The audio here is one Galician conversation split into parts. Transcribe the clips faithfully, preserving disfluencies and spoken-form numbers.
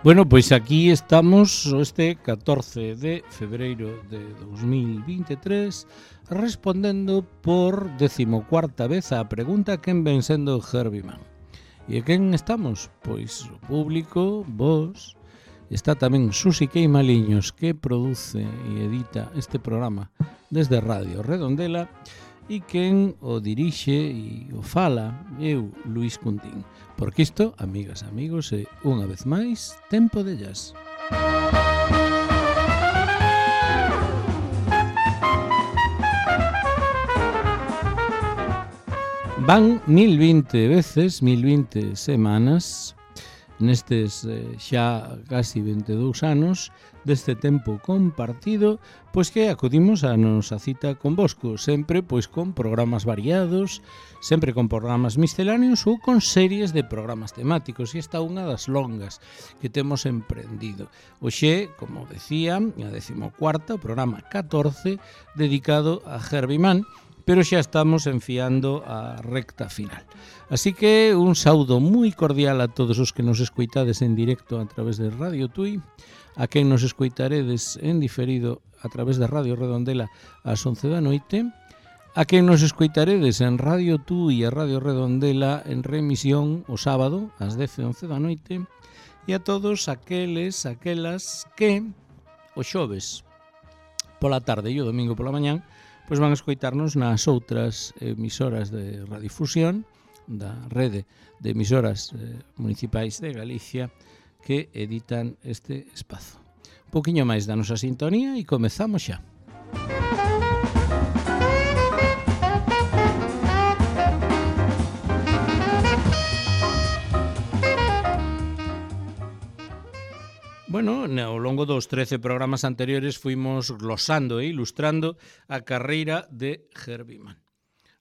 Bueno, pois aquí estamos este catorce de febreiro de dos mil vinte e tres respondendo por decimocuarta vez á pregunta quen ven sendo Herbie Mann. E quen estamos? Pois o público, vos, está tamén Susi Queimaliños, que produce e edita este programa desde Radio Redondela, e quen o dirixe e o fala, eu, Luís Cuntín. Porque isto, amigas e amigos, é unha vez máis Tempo de Jazz. Van mil vinte veces, mil vinte semanas, nestes eh, xa casi vinte e dous anos deste tempo compartido, pois que acudimos a nosa cita convosco, sempre pois con programas variados, sempre con programas misceláneos ou con series de programas temáticos, e esta é unha das longas que temos emprendido. Hoxe, como decía, a decimocuarta, o programa catorce, dedicado a Herbie Mann, pero xa estamos enfiando a recta final. Así que un saúdo moi cordial a todos os que nos escoitades en directo a través de Radio Tui, a quen nos escoitaredes en diferido a través de Radio Redondela ás once da noite, a quen nos escoitaredes en Radio Tui e Radio Redondela en remisión o sábado ás dez e once da noite, e a todos aqueles, aquelas que o xoves pola tarde e o domingo pola mañán pois van a escoitarnos nas outras emisoras de radiodifusión da rede de emisoras eh, municipais de Galicia que editan este espazo. Un poquinho máis da nosa sintonía e comezamos xa. Bueno, ao longo dos trece programas anteriores fuimos glosando e ilustrando a carreira de Herbie Mann.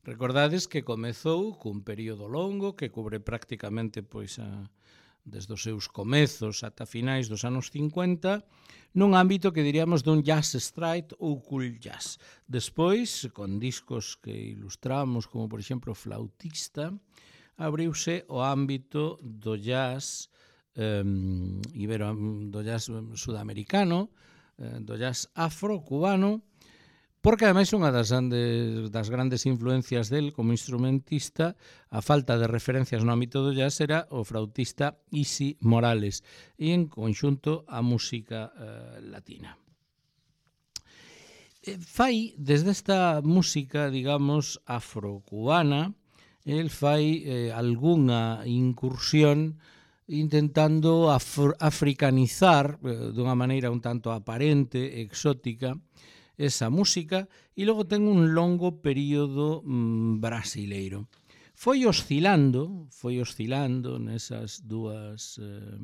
Recordades que comezou cun período longo que cubre prácticamente pois a, desde os seus comezos ata finais dos anos cincuenta, nun ámbito que diríamos dun jazz straight ou cool jazz. Despois, con discos que ilustramos, como por exemplo Flautista, abriuse o ámbito do jazz Um, ibero, do jazz sudamericano, uh, do jazz afro-cubano, porque ademais unha das grandes, das grandes influencias del como instrumentista, a falta de referencias no ámbito do jazz, era o flautista Isi Morales, e en conxunto a música uh, latina. E fai, desde esta música, digamos, afro-cubana, el fai eh, algunha incursión intentando af- africanizar eh, dunha maneira un tanto aparente, exótica, esa música, e logo ten un longo período mm, brasileiro. Foi oscilando, foi oscilando nesas dúas eh,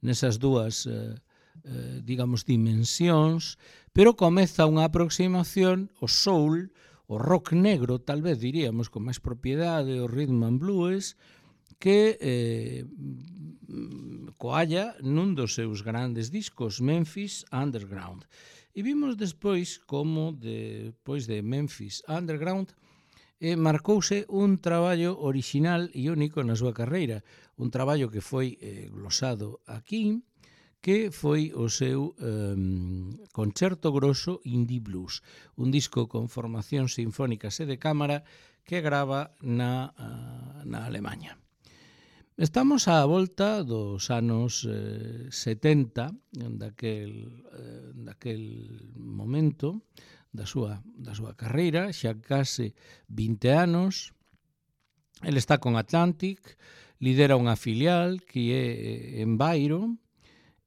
nesas dúas eh, eh, digamos dimensións, pero comeza unha aproximación ao soul, o rock negro, tal vez diríamos con máis propiedade, o rhythm and blues, que eh, coalla nun dos seus grandes discos, Memphis Underground. E vimos despois como, despois de Memphis Underground, eh, marcouse un traballo orixinal e único na súa carreira, un traballo que foi eh, glosado aquí, que foi o seu eh, Concerto Grosso Indie Blues, un disco con formación sinfónicas e de cámara que grava na, uh, na Alemanha. Estamos á volta dos anos eh, setenta, daquel, eh, daquel momento da súa, da súa carreira, xa case vinte anos. El está con Atlantic, lidera unha filial que é en Bairo,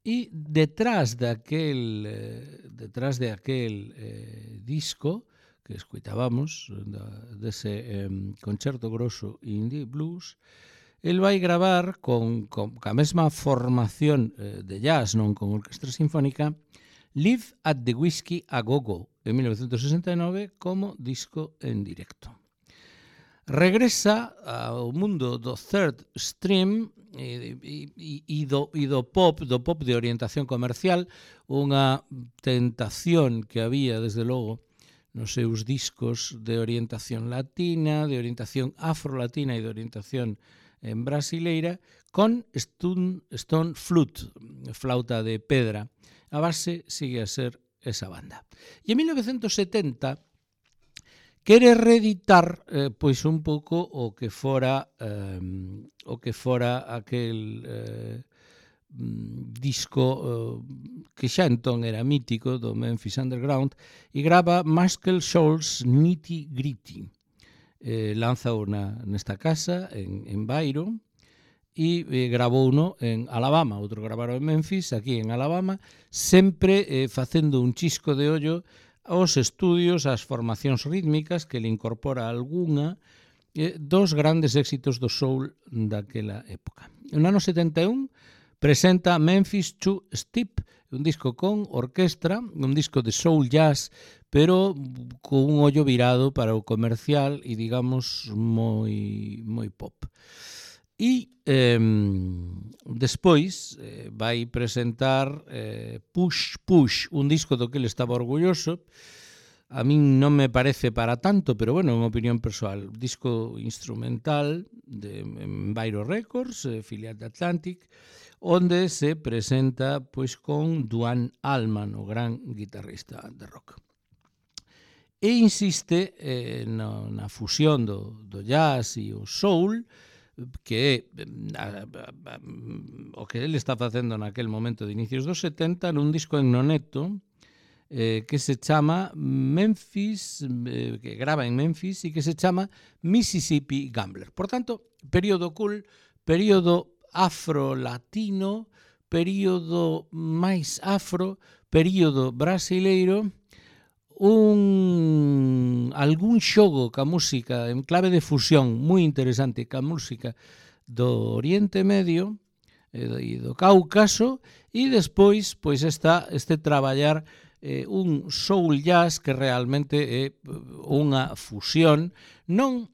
e detrás daquel, eh, detrás de aquel eh, disco que escuitábamos, da, dese eh, Concerto Grosso Indie Blues, el vai gravar con, con a mesma formación eh, de jazz, non con orquestra sinfónica, Live at the Whiskey a Go-Go, en mil novecentos sesenta e nove, como disco en directo. Regresa ao mundo do third stream e, e, e, do, e do pop, do pop de orientación comercial, unha tentación que había, desde logo, nos seus discos de orientación latina, de orientación afro-latina e de orientación en brasileira, con Stone, Stone Flute, flauta de pedra. A base sigue a ser esa banda. E en mil novecientos setenta quere reeditar eh, pois un pouco o que fora eh, o que fora aquel eh, disco eh, que xa entón era mítico do Memphis Underground e grava Muscle Shoals Nitty Gritty. Eh, lanza unha nesta casa en, en Byron e eh, grabou uno en Alabama, outro gravaron en Memphis, aquí en Alabama, sempre eh, facendo un chisco de ollo aos estudios, ás formacións rítmicas que le incorpora algunha eh, dos grandes éxitos do soul daquela época. No ano setenta e un presenta Memphis Two Step, un disco con orquestra, un disco de soul jazz, pero con un ollo virado para o comercial e, digamos, moi, moi pop. E eh, despois eh, vai presentar eh, Push Push, un disco do que ele estaba orgulloso. A min non me parece para tanto, pero bueno, é unha opinión persoal. Disco instrumental de Enviro Records, eh, filial de Atlantic, onde se presenta pois con Duane Allman, o gran guitarrista de rock. E insiste eh, no, na fusión do, do jazz e o soul, que é a, a, a, o que ele está facendo naquel momento de inicios dos setenta nun disco en noneto eh, que se chama Memphis, eh, que grava en Memphis e que se chama Mississippi Gambler. Por tanto, período cool, período afro-latino, período máis afro, período brasileiro, un algún xogo ca música en clave de fusión moi interesante ca música do Oriente Medio e do Cáucaso, e despois pois está este traballar eh, un soul jazz que realmente é unha fusión, non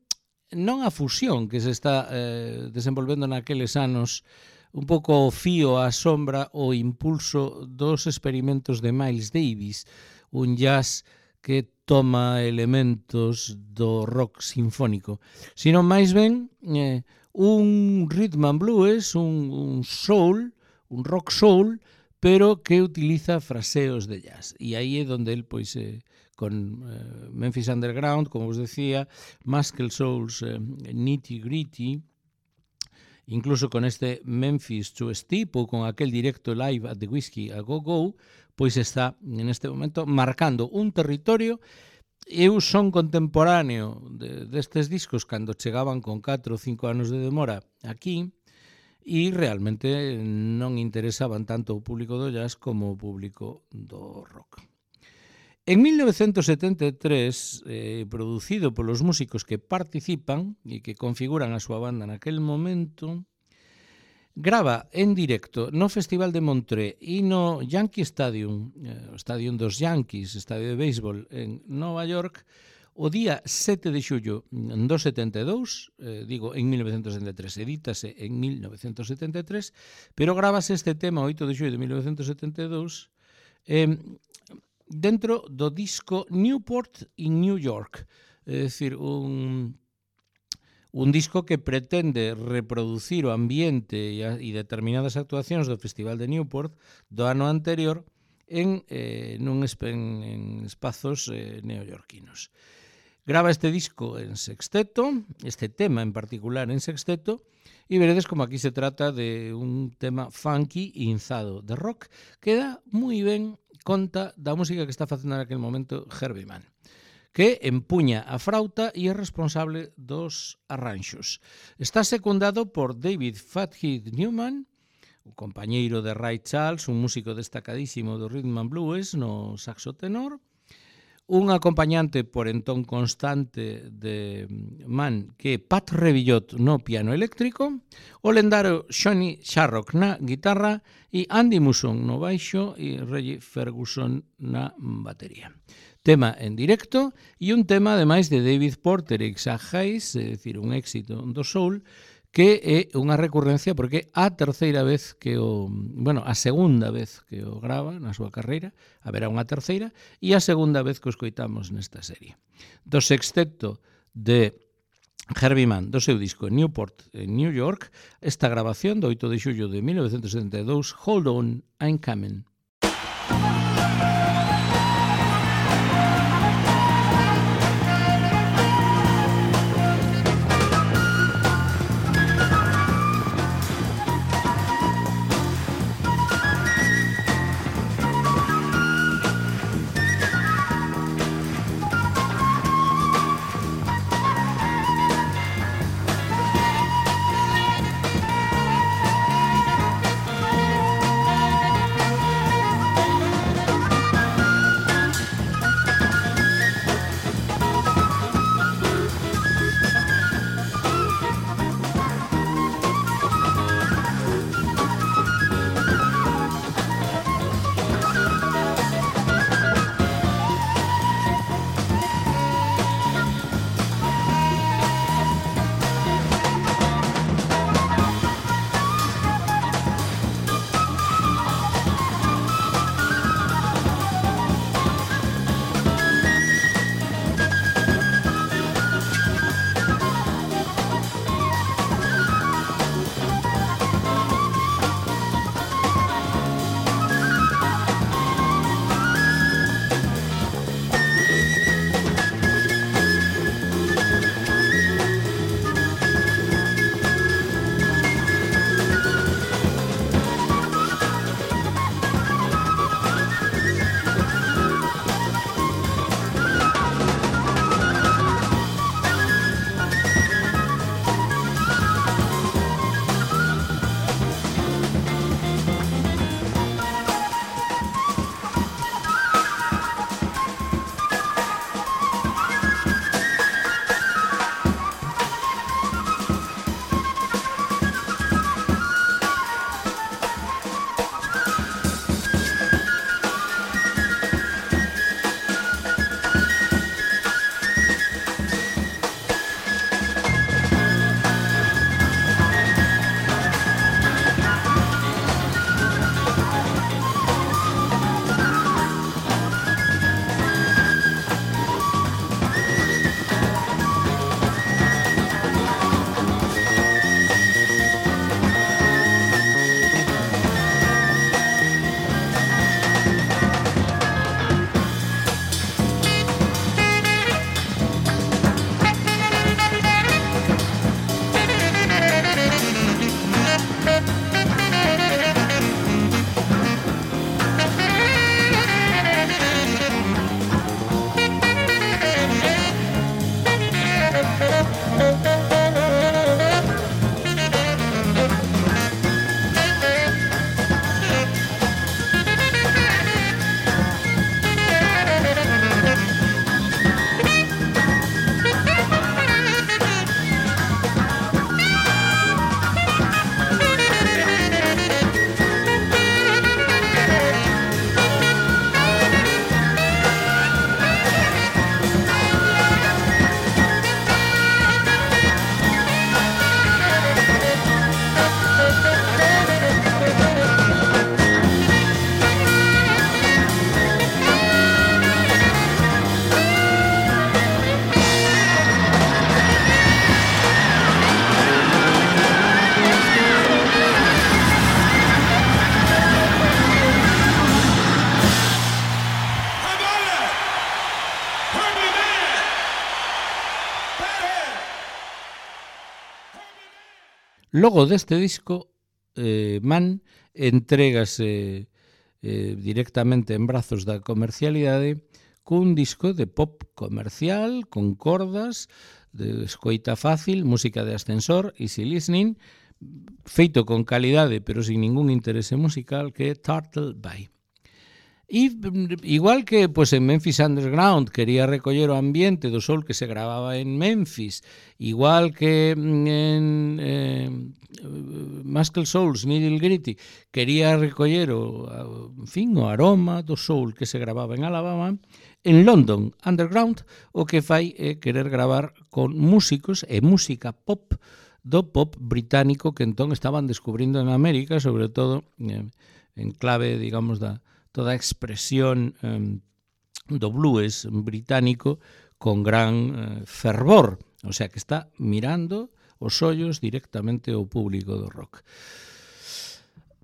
non a fusión que se está eh, desenvolvendo naqueles anos, un pouco o fío á sombra o impulso dos experimentos de Miles Davis, un jazz que toma elementos do rock sinfónico, sino máis ben eh, un rhythm and blues, un, un soul, un rock soul, pero que utiliza fraseos de jazz. E aí é onde el, pois, eh, con eh, Memphis Underground, como vos decía, Muscle Shoals eh, Nitty Gritty, incluso con este Memphis Two Step ou con aquel directo live at the Whiskey a Go Go, pois está en este momento marcando un territorio. Eu son contemporáneo de, destes discos cando chegaban con catro ou cinco anos de demora aquí e realmente non interesaban tanto o público do jazz como o público do rock. En mil novecientos setenta e tres, eh, producido polos músicos que participan e que configuran a súa banda naquel momento, grava en directo no Festival de Montreux e no Yankee Stadium, eh, o estadio dos Yankees, estadio de béisbol en Nova York, o día sete de xullo do setenta e dous, eh, digo, en mil novecientos setenta e tres, edítase en mil novecientos setenta e tres, pero gravase este tema oito de xullo de mil novecientos setenta e dous eh, dentro do disco Newport in New York, é dicir, un... un disco que pretende reproducir o ambiente e determinadas actuacións do Festival de Newport do ano anterior en, eh, nun en, en espazos eh, neoyorquinos. Grava este disco en sexteto, este tema en particular en sexteto, e veredes como aquí se trata de un tema funky e inzado de rock que dá moi ben conta da música que está facendo naquele momento Herbie Mann, que empuña a frauta e é responsable dos arranxos. Está secundado por David Fathead Newman, o compañeiro de Ray Charles, un músico destacadísimo do rhythm and blues no saxo tenor, un acompañante por entón constante de Mann, que é Pat Revillot no piano eléctrico, o lendario Johnny Sharrock na guitarra e Andy Muson no baixo e Reggie Ferguson na batería. Tema en directo e un tema ademais de David Porter e Isaac Hayes, é dicir, un éxito do soul, que é unha recurrencia porque a terceira vez que o, bueno, a segunda vez que o grava na súa carreira, haberá unha terceira, e a segunda vez que o escoitamos nesta serie. Do sexteto de Herbie Mann, do seu disco Newport en New York, esta grabación do oito de xullo de mil novecentos setenta e dous, Hold On, I'm Coming. Logo deste disco, eh, Mann entrégase eh, directamente en brazos da comercialidade cun disco de pop comercial, con cordas, de escoita fácil, música de ascensor, easy listening, feito con calidade pero sin ningún interese musical, que é Turtle Bay. E igual que pues, en Memphis Underground quería recoller o ambiente do soul que se gravaba en Memphis, igual que en eh, Muscle Souls, Needle Gritty quería recoller o, en fin, o aroma do soul que se gravaba en Alabama, en London Underground o que fai é querer gravar con músicos e música pop do pop británico que entón estaban descubrindo en América, sobre todo eh, en clave, digamos, da toda a expresión eh, do blues británico con gran eh, fervor. O sea que está mirando os ollos directamente ao público do rock.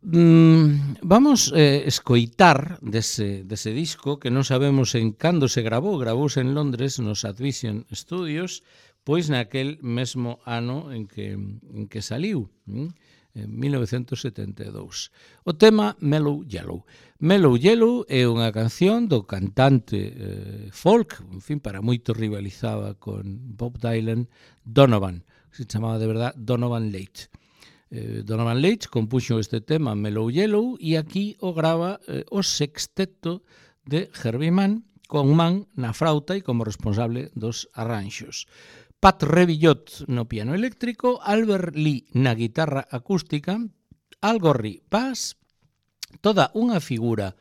Mm, vamos eh, escoitar dese, dese disco que non sabemos en cando se grabou, gravouse en Londres nos Advision Studios, pois naquel mesmo ano en que, en que saliu, mm? en mil novecentos setenta e dous. O tema Mellow Yellow. Mellow Yellow é unha canción do cantante eh, folk, en fin, para moito rivalizaba con Bob Dylan, Donovan, se chamaba de verdad Donovan Leitch. Eh, Donovan Leitch compuxo este tema Mellow Yellow e aquí o grava eh, o sexteto de Herbie Mann, con Mann na frauta e como responsable dos arranxos. Pat Revillot no piano eléctrico, Albert Lee na guitarra acústica, Al Gorrie bass, toda unha figura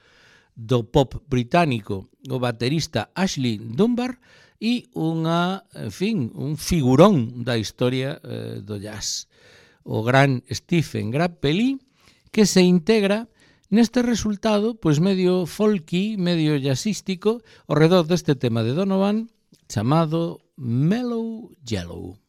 do pop británico, o baterista Ashley Dunbar e unha, en fin, un figurón da historia eh, do jazz, o gran Stephen Grappelli, que se integra neste resultado pois medio folky, medio jazzístico, ao redor deste tema de Donovan chamado Mellow Yellow.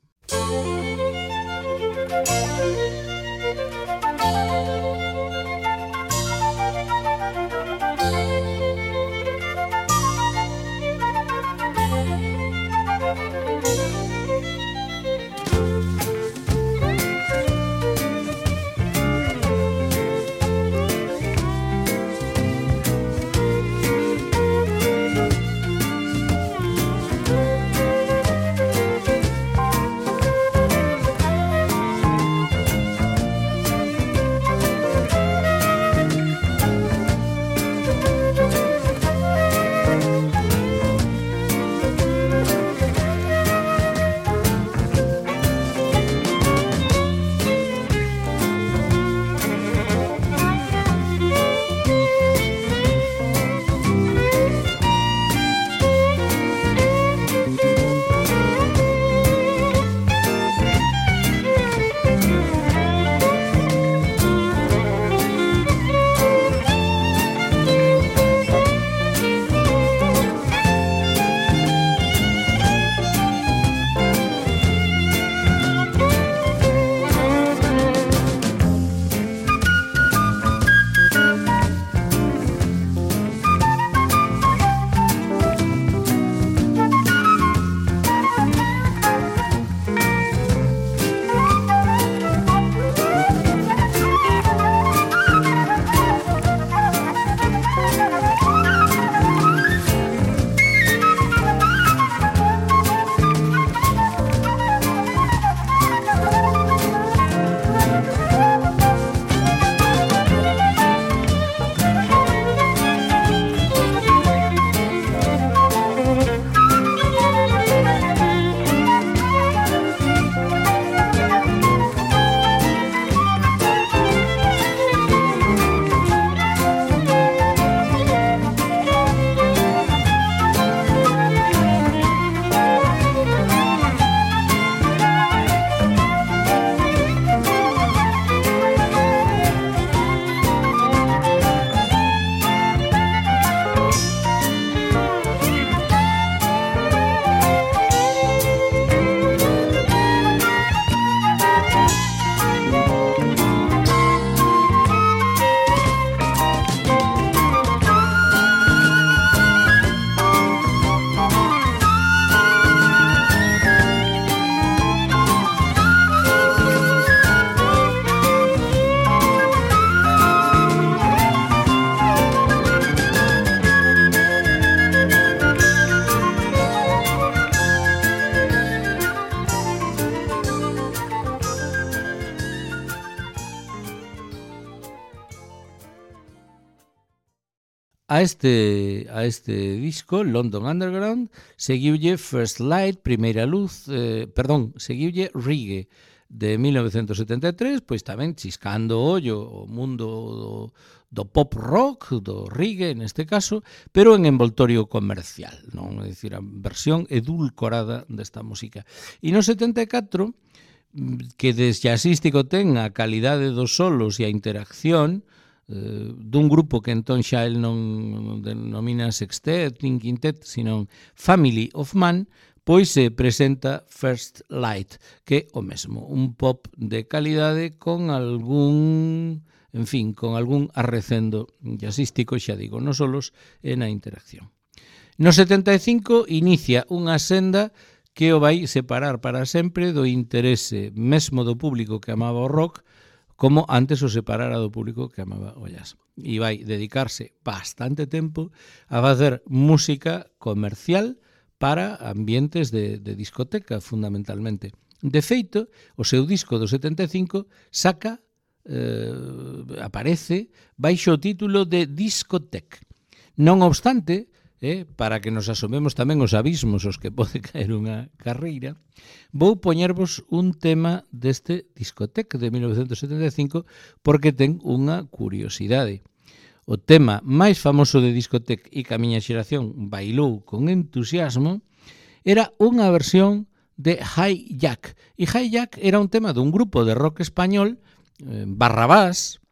A este, a este disco, London Underground, seguiulle First Light, Primeira Luz, eh, perdón, seguiulle Reggae, de mil novecentos setenta e tres, pois tamén chiscando o ollo o mundo do, do pop rock, do reggae neste caso, pero en envoltorio comercial, non? É dicir, a versión edulcorada desta música. E no setenta e catro, que de jazzístico ten a calidade dos solos e a interacción, Uh, dun grupo que entón xa el non denomina sextet, nin quintet, sino Family of Man, pois se presenta First Light, que o mesmo, un pop de calidade con algún, en fin, con algún arrecendo jazzístico, xa digo, nos solos e na interacción. No setenta e cinco inicia unha senda que o vai separar para sempre do interese mesmo do público que amaba o rock, como antes o separara do público que amaba o jazz. E vai dedicarse bastante tempo a facer música comercial para ambientes de, de discoteca, fundamentalmente. De feito, o seu disco do setenta e cinco saca, eh, aparece, baixo o título de Discotech. Non obstante, Eh, para que nos asomemos tamén os abismos os que pode caer unha carreira, vou poñervos un tema deste Discotech de mil novecentos setenta e cinco porque ten unha curiosidade. O tema máis famoso de Discotech e que a miña xeración bailou con entusiasmo era unha versión de Hi Jack. E Hi Jack era un tema dun grupo de rock español, eh, Barrabás,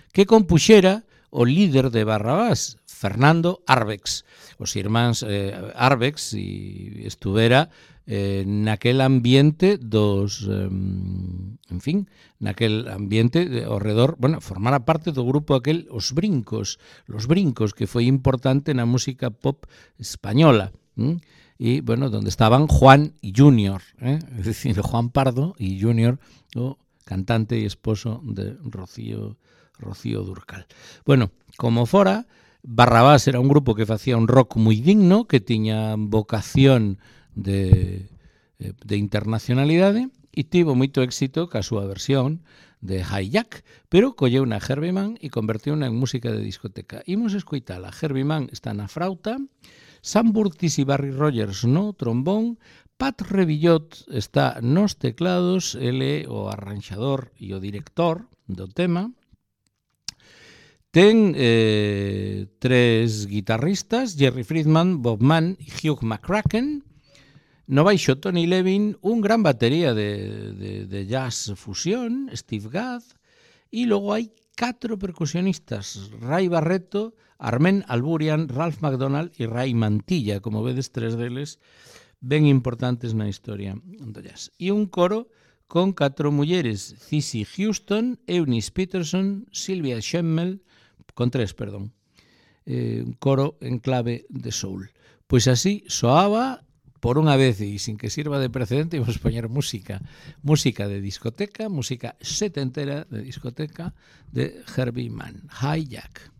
que compuxera o líder de Barrabás, Fernando Arbex. Os irmáns eh, Arbex e estuvera eh, naquel ambiente dos, eh, en fin, naquel ambiente de, ao redor, bueno, formara parte do grupo aquel Os Brincos, Los Brincos, que foi importante na música pop española. ¿Mm? E, bueno, donde estaban Juan y Junior, ¿eh? Es decir, Juan Pardo y Junior, o cantante e esposo de Rocío, Rocío Dúrcal. Bueno, como fora, Barrabás era un grupo que facía un rock moi digno, que tiña vocación de, de internacionalidade e tivo moito éxito ca súa versión de Hi Jack, pero colleu na Herbie Mann e convertiu na en música de discoteca. Imos escoitala. Herbie Mann está na frauta, Sam Burtis e Barry Rogers no trombón, Pat Revillot está nos teclados, ele o arranxador e o director do tema. Ten eh, tres guitarristas, Jerry Friedman, Bob Mann e Hugh McCracken. No baixo Tony Levin, un gran batería de, de, de jazz fusión, Steve Gadd. E logo hai catro percusionistas, Ray Barreto, Armén Alburian, Ralph McDonald e Ray Mantilla, como vedes, tres deles ben importantes na historia do jazz. E un coro con catro mulleres, Cissy Houston, Eunice Peterson, Sylvia Schemmel, con tres, perdón, eh, un coro en clave de soul. Pois así soaba por unha vez e sin que sirva de precedente, vamos poñer música, música de discoteca, música setentera de discoteca de Herbie Mann, Hi Jack.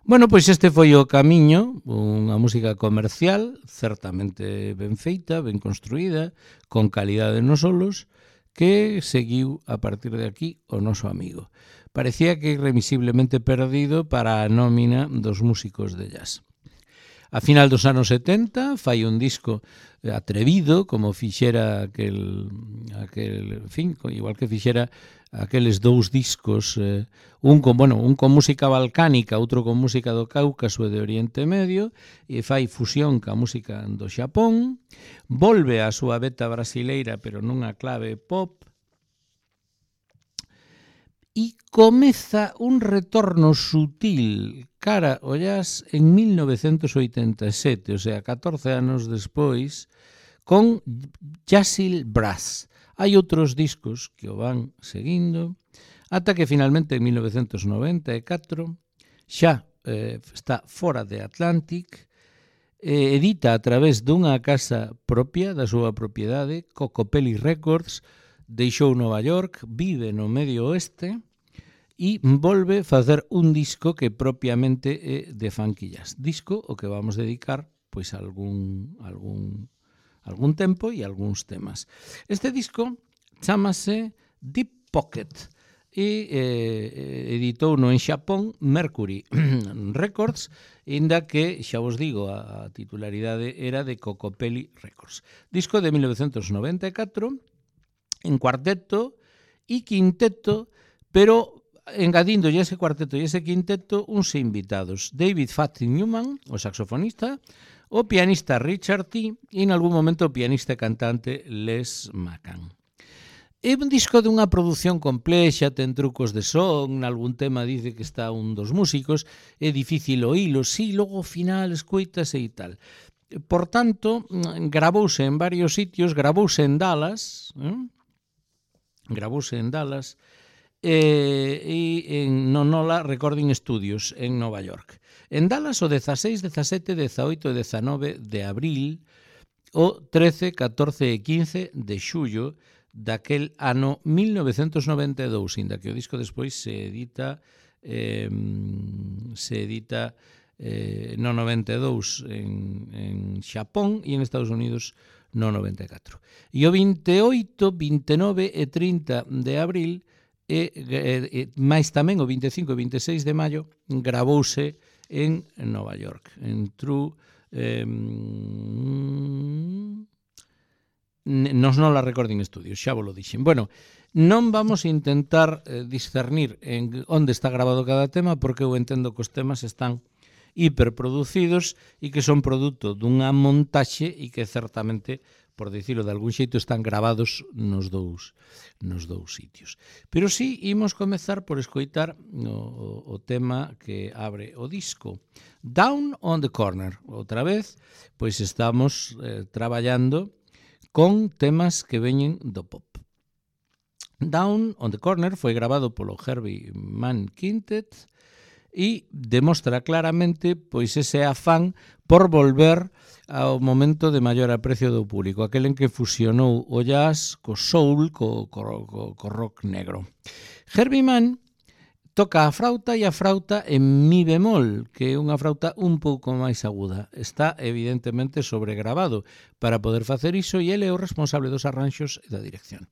Bueno, pois este foi o camiño, unha música comercial, certamente ben feita, ben construída, con calidade nos solos, que seguiu a partir de aquí o noso amigo. Parecía que irremisiblemente perdido para a nómina dos músicos de jazz. A final dos anos setenta fai un disco atrevido, como fixera aquel, aquel en fin, igual que fixera aqueles dous discos, eh, un con, bueno, un con música balcánica, outro con música do Cáucaso e de Oriente Medio, e fai fusión ca música do Xapón, volve á súa beta brasileira, pero nunha clave pop, e comeza un retorno sutil cara ao jazz en mil novecentos oitenta e sete, o sea, catorce anos despois, con Jazil Brass. Hai outros discos que o van seguindo, ata que finalmente en mil novecentos noventa e catro xa eh, está fora de Atlantic, eh, edita a través dunha casa propia da súa propiedade, Cocopelli Records, deixou Nova York, vive no Medio Oeste e volve facer un disco que propiamente é de funky jazz. Disco o que vamos dedicar pois algún algún algún tempo e algúns temas. Este disco chámase Deep Pocket e eh, editou no en Xapón Mercury Records, inda que, xa vos digo, a titularidade era de Cocopelli Records. Disco de mil novecentos noventa e catro, en cuarteto e quinteto, pero engadindo ese cuarteto e ese quinteto uns invitados. David Fatty Newman, o saxofonista, o pianista Richard T. e en algún momento o pianista e cantante Les McCann. É un disco dunha produción complexa, ten trucos de son, nalgún tema dice que está un dos músicos, é difícil oílo, si, logo ao final escoitase e tal. Por tanto, gravouse en varios sitios, gravouse en Dallas, eh? gravouse en Dallas, e, e en Nonola Recording Studios en Nova York. En Dallas o dezaseis, dezasete, dezaoito e dezanove de abril, o trece, catorce e quince de xullo daquel ano mil novecentos noventa e dous, inda que o disco despois se edita eh, se edita eh, no noventa e dous en, en Xapón e en Estados Unidos no noventa e catro. E o vinte e oito, vinte e nove e trinta de abril e, e, e máis tamén o vinte e cinco e vinte e seis de maio gravouse en Nova York, en True eh, nos Nola Recording Studios, xa vos lo dixen. Bueno, non vamos a intentar eh, discernir en onde está grabado cada tema, porque eu entendo que os temas están hiperproducidos e que son produto dunha montaxe e que certamente, por dicilo de algún xeito, están gravados nos dous, nos dous sitios. Pero sí, imos comezar por escoitar o, o tema que abre o disco. Down on the Corner. Outra vez, pois estamos eh, traballando con temas que veñen do pop. Down on the Corner foi grabado polo Herbie Mann Quintet e demostra claramente pois ese afán por volver ao momento de maior aprecio do público, aquel en que fusionou o jazz co soul, co, co, co, co rock negro. Herbie Mann toca a frauta e a frauta en mi bemol, que é unha frauta un pouco máis aguda. Está evidentemente sobregrabado para poder facer iso e ele é o responsable dos arranxos e da dirección.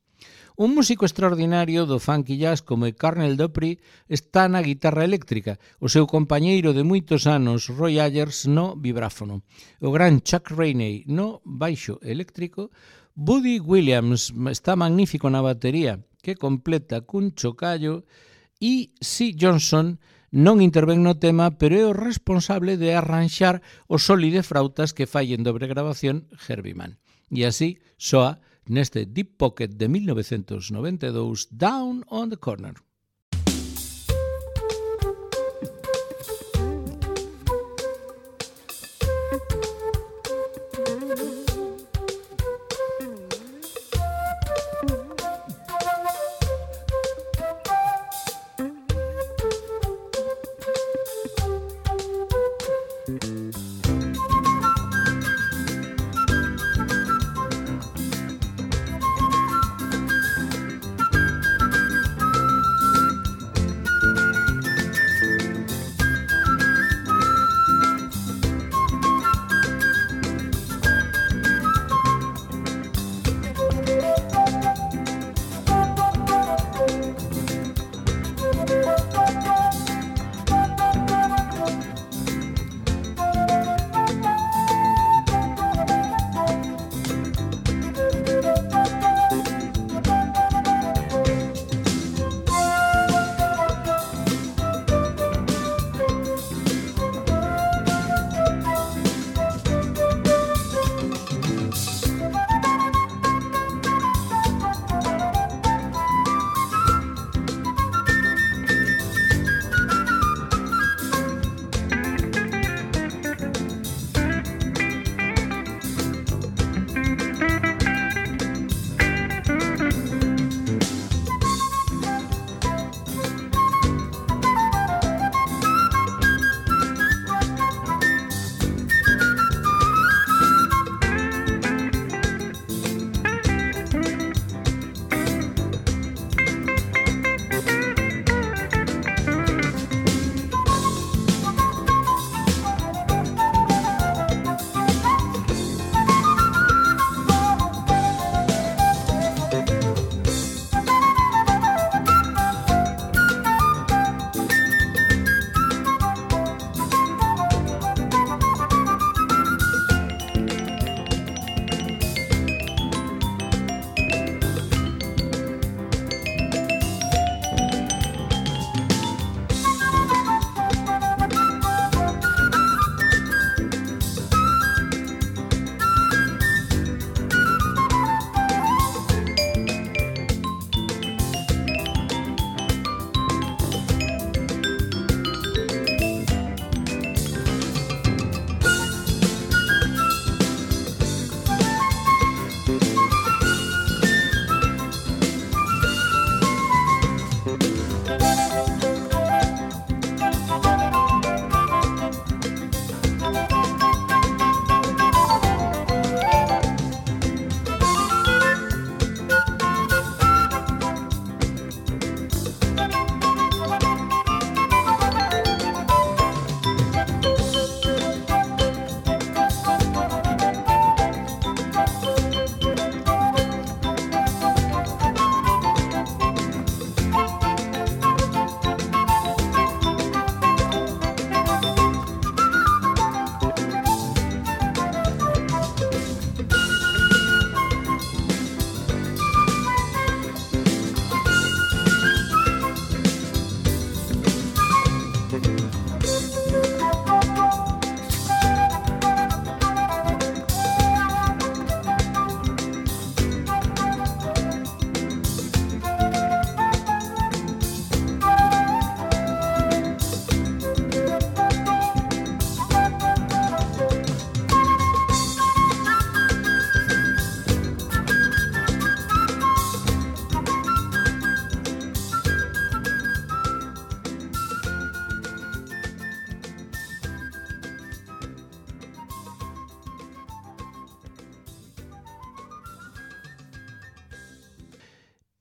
Un músico extraordinario do funky jazz como é Colonel Dupree está na guitarra eléctrica, o seu compañeiro de moitos anos Roy Ayers no vibráfono, o gran Chuck Rainey no baixo eléctrico, Buddy Williams está magnífico na batería, que completa cun chocallo, e C. Johnson non intervén no tema, pero é o responsable de arranxar o soli de frautas que fai en dobre grabación Herbie Mann. E así soa neste Deep Pocket de mil novecentos noventa e dous, Down on the Corner.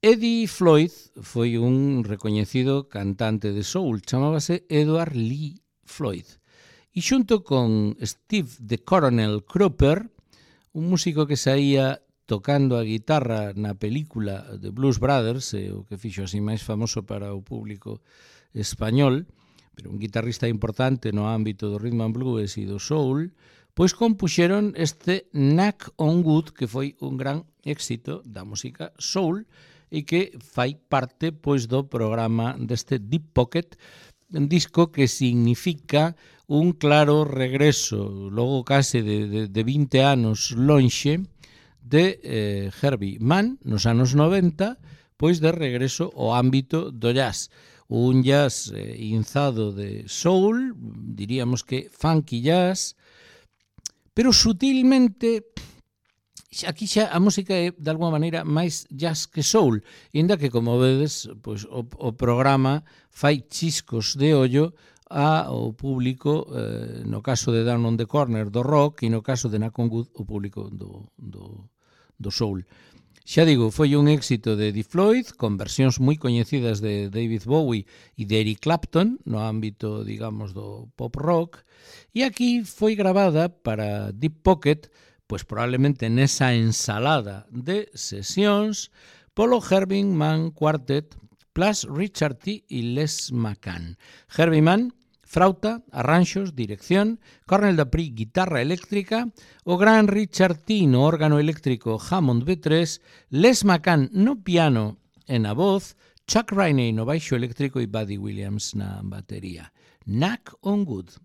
Eddie Floyd foi un recoñecido cantante de soul, chamábase Edward Lee Floyd. E xunto con Steve the Coronel Cropper, un músico que saía tocando a guitarra na película de Blues Brothers, eh, o que fixo así máis famoso para o público español, pero un guitarrista importante no ámbito do rhythm and blues e do soul, pois compuxeron este Knock on Wood, que foi un gran éxito da música soul e que fai parte pois do programa deste Deep Pocket, un disco que significa un claro regreso, logo case de, de, de vinte anos lonxe, de eh, Herbie Mann nos anos noventa, pois de regreso ao ámbito do jazz. Un jazz eh, inzado de soul, diríamos que funky jazz, pero sutilmente, aquí xa a música é de alguma maneira máis jazz que soul, inda que, como vedes, pois, o, o programa fai chiscos de ollo ao público, eh, no caso de Down on the Corner do rock e no caso de Knock on Wood o público do, do, do soul. Xa digo, foi un éxito de Eddie Floyd, con versións moi coñecidas de David Bowie e de Eric Clapton, no ámbito, digamos, do pop rock, e aquí foi gravada para Deep Pocket, pois probablemente nesa ensalada de sesións, polo Herbie Mann Quartet, plus Richard T. e Les McCann. Herbie Mann, frauta, arranxos, dirección, Cornell Dupree, guitarra eléctrica, o gran Richard T. no órgano eléctrico Hammond B tres, Les McCann no piano e na voz, Chuck Rainey no baixo eléctrico e Buddy Williams na batería. Knock on Wood.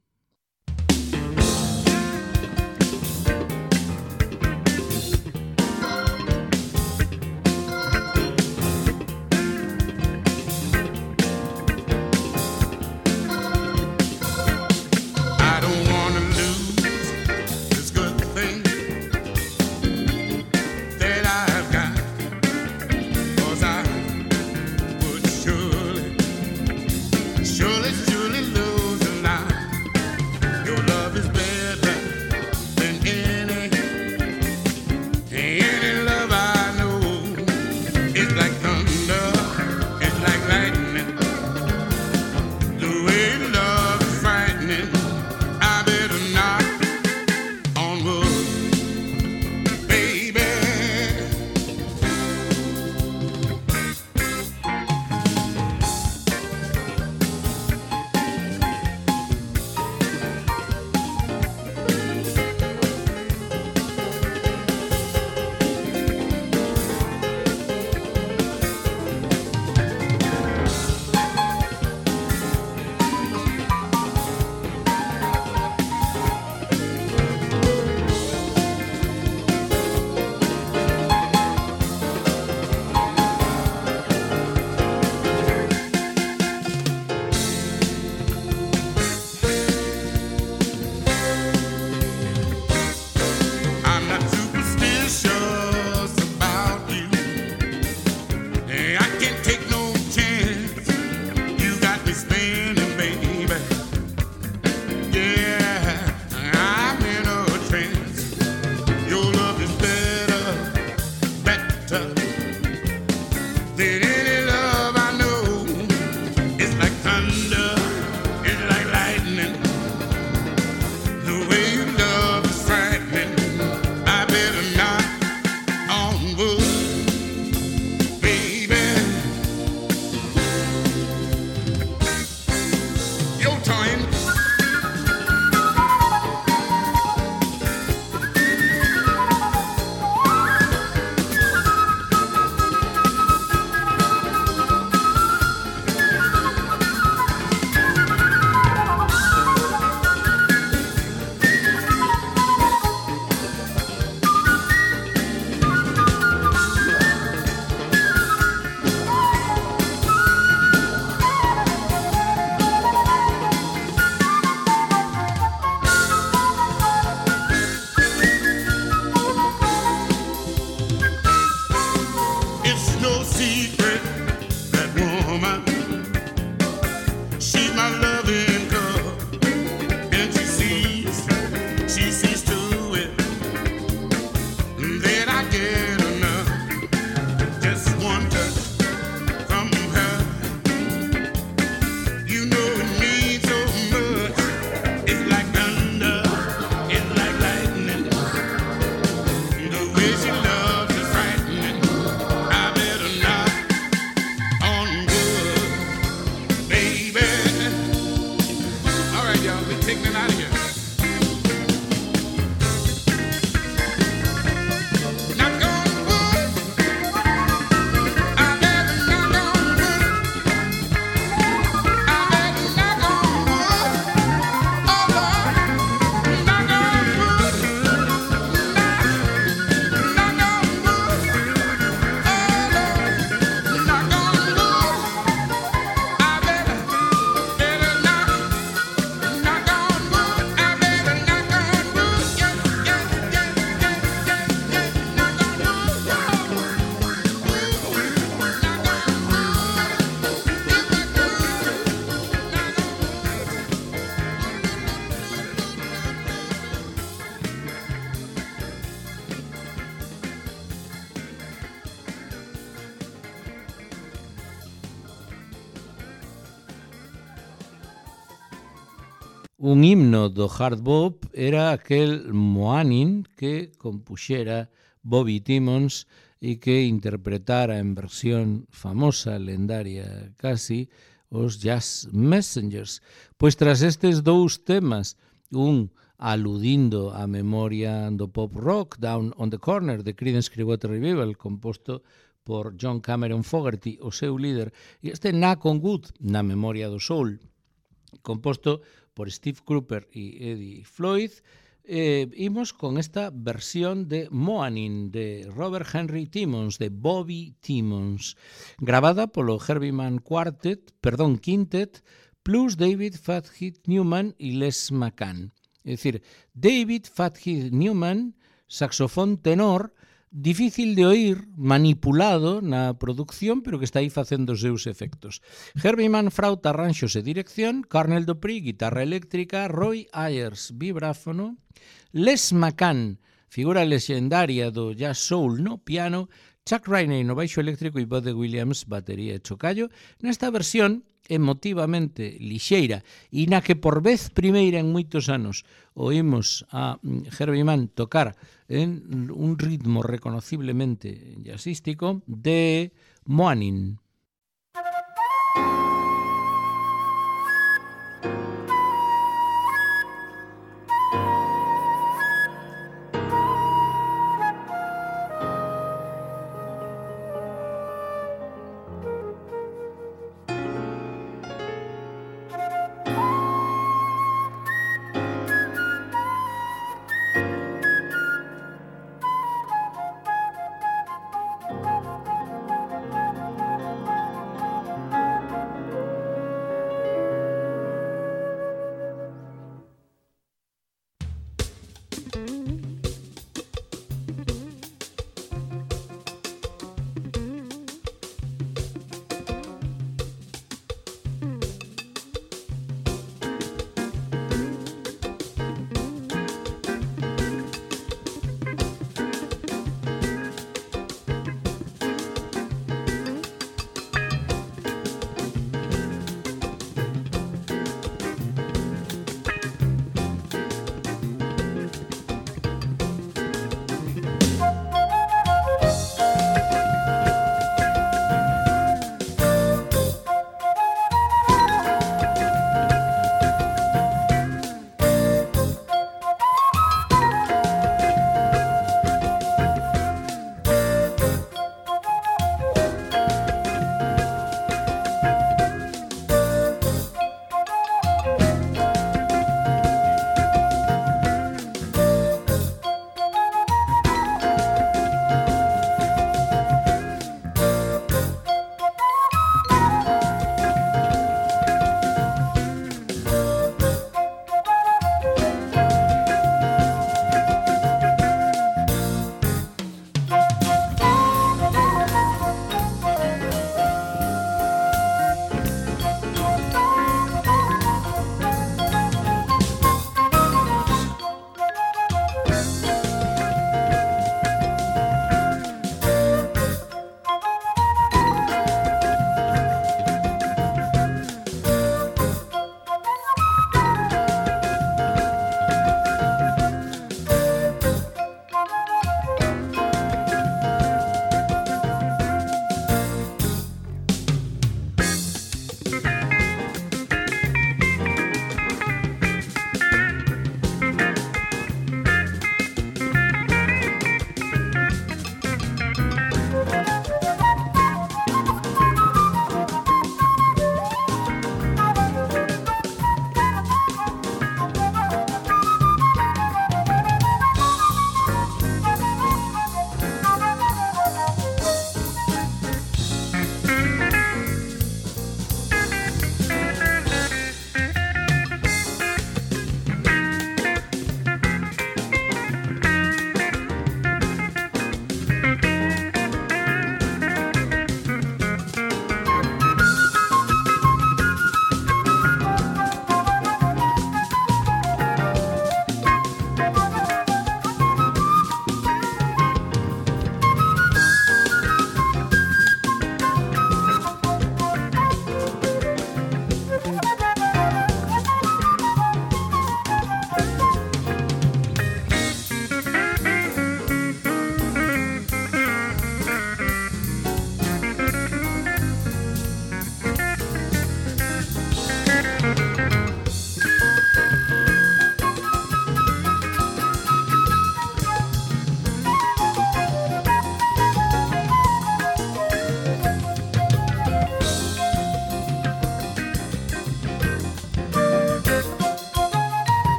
Surely, surely lose a lot. baby. All right, y'all, we're taking it out of here. Un himno do hard bop era aquel Moanin que compuxera Bobby Timmons e que interpretara en versión famosa, lendaria casi, os Jazz Messengers. Pois tras estes dous temas, un aludindo á memoria do pop rock, Down on the Corner, de Creedence Clearwater Revival, composto por John Cameron Fogerty, o seu líder, e este Knock on Wood, na memoria do soul, composto por Steve Cropper e Eddie Floyd, eh, imos con esta versión de Moanin, de Robert Henry Timmons, de Bobby Timmons, grabada polo Herbie Mann Quartet, perdón, Quintet, plus David Fathead Newman e Les McCann. É dicir, David Fathead Newman, saxofón tenor, difícil de oír, manipulado na producción, pero que está aí facendo os seus efectos. Herbie Mann, frauta, arranxos e dirección, Cornell Dupree, guitarra eléctrica, Roy Ayers, vibráfono, Les McCann, figura lexendaria do jazz soul no piano, Chuck Rainey no baixo eléctrico e Buddy Williams, batería e chocallo, nesta versión emotivamente lixeira e na que por vez primeira en moitos anos oímos a Herbie Mann tocar en un ritmo reconociblemente jazzístico de Moanin.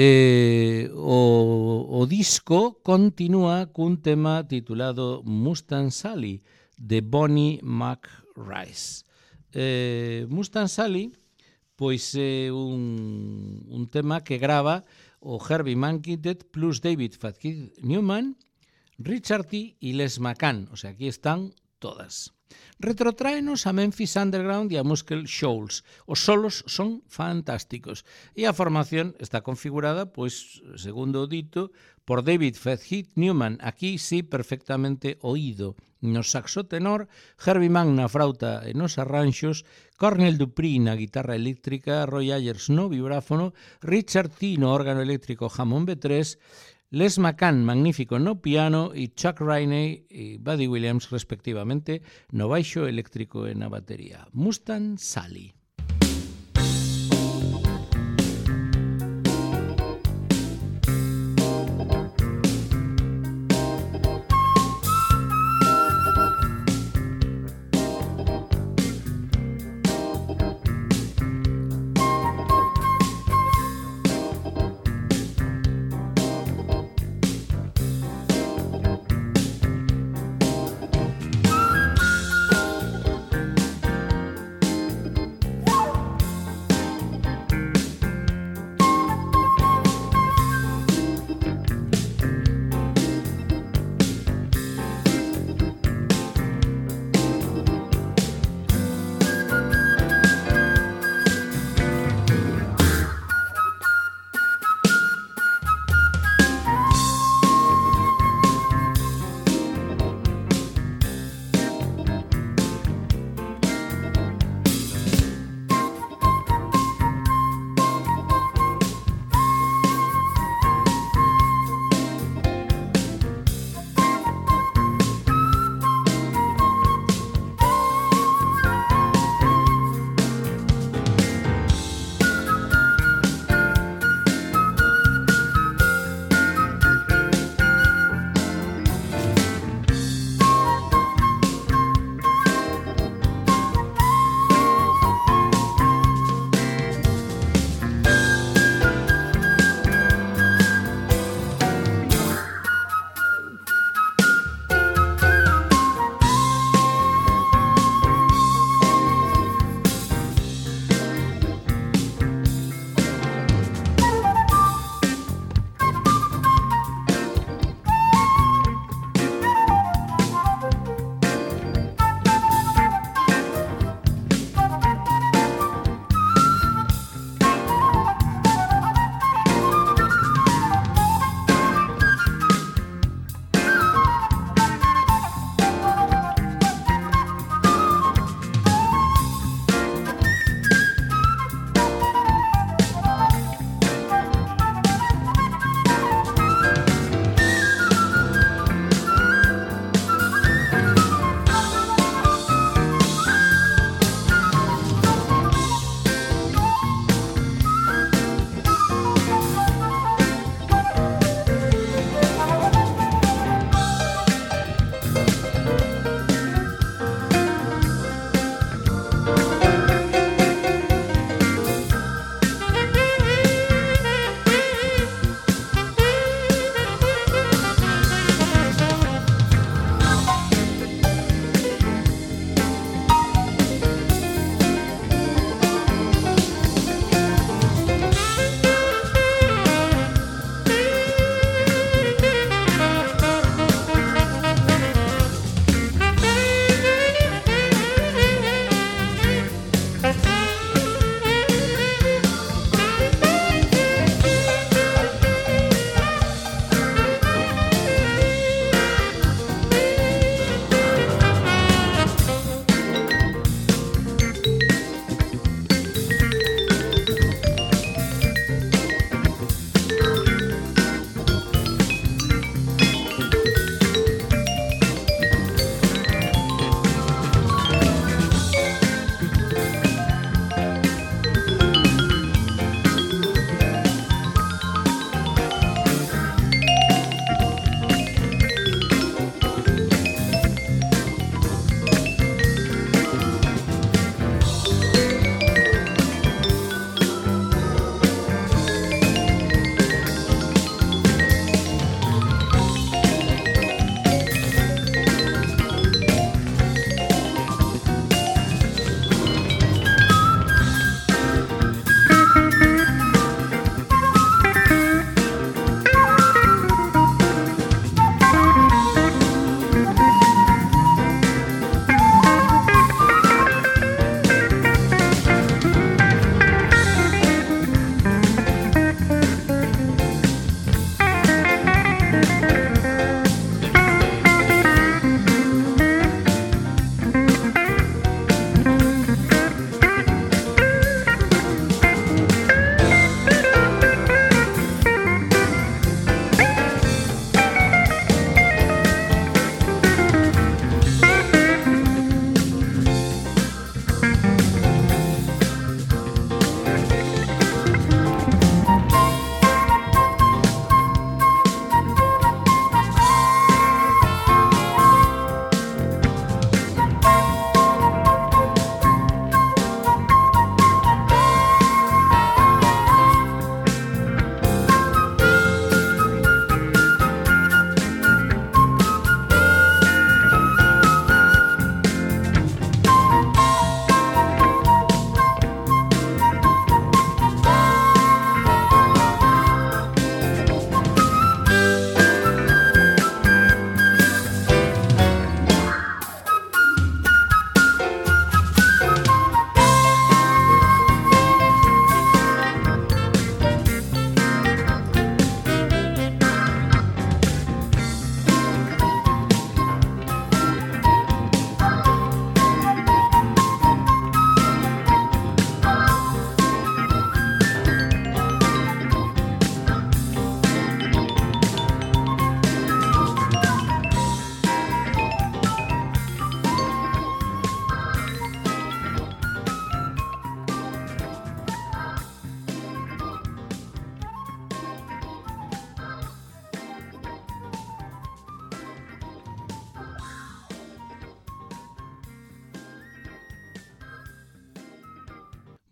Eh, o, o disco continúa cun tema titulado Mustang Sally, de Bonnie McRice. Eh, Mustang Sally, pois é un, un tema que grava o Herbie Mankiewicz plus David Fatkitt Newman, Richard T. e Les McCann, o sea, aquí están todas. Retrotraenos a Memphis Underground e a Muscle Shoals. Os solos son fantásticos e a formación está configurada, pois, segundo o dito, por David Fatkitt Newman, aquí sí perfectamente oído, no saxo tenor, Herbie Mann na frauta e nos arranxos, Cornel Dupree na guitarra eléctrica, Roy Ayers no vibráfono, Richard T no órgano eléctrico Hammond B tres, Les McCann, magnífico no piano, e Chuck Rainey e Buddy Williams, respectivamente, no baixo eléctrico e na batería. Mustang Sally.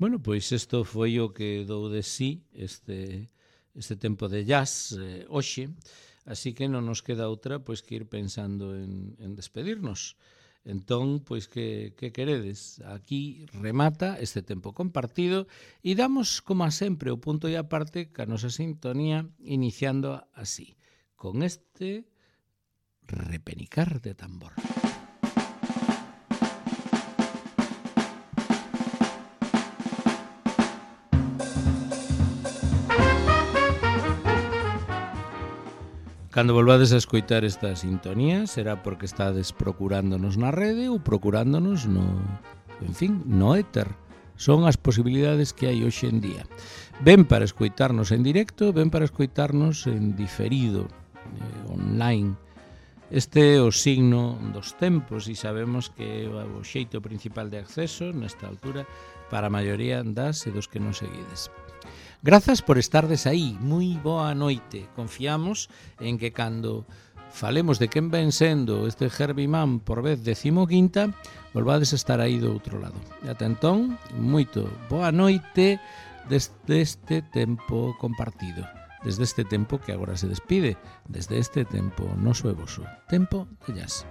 Bueno, pois isto foi o que dou de sí este, este tempo de jazz eh, hoxe, así que non nos queda outra pois que ir pensando en, en despedirnos. Entón, pois que, que queredes? Aquí remata este tempo compartido e damos, como a sempre, o punto e aparte ca nosa sintonía iniciando así, con este repenicar de tambor. Cando volvades a escoitar esta sintonía será porque estades procurándonos na rede ou procurándonos no, en fin, no éter. Son as posibilidades que hai hoxe en día. Ben para escoitarnos en directo, ben para escoitarnos en diferido, eh, online. Este é o signo dos tempos e sabemos que é o xeito principal de acceso nesta altura para a maioría das e dos que nos seguides. Grazas por estardes aí, moi boa noite. Confiamos en que cando falemos de quen ven sendo este Herbie Mann por vez decimoquinta, volvades a estar aí do outro lado. E ata entón, moito boa noite desde este tempo compartido, desde este tempo que agora se despide, desde este tempo noso e voso, tempo de jazz.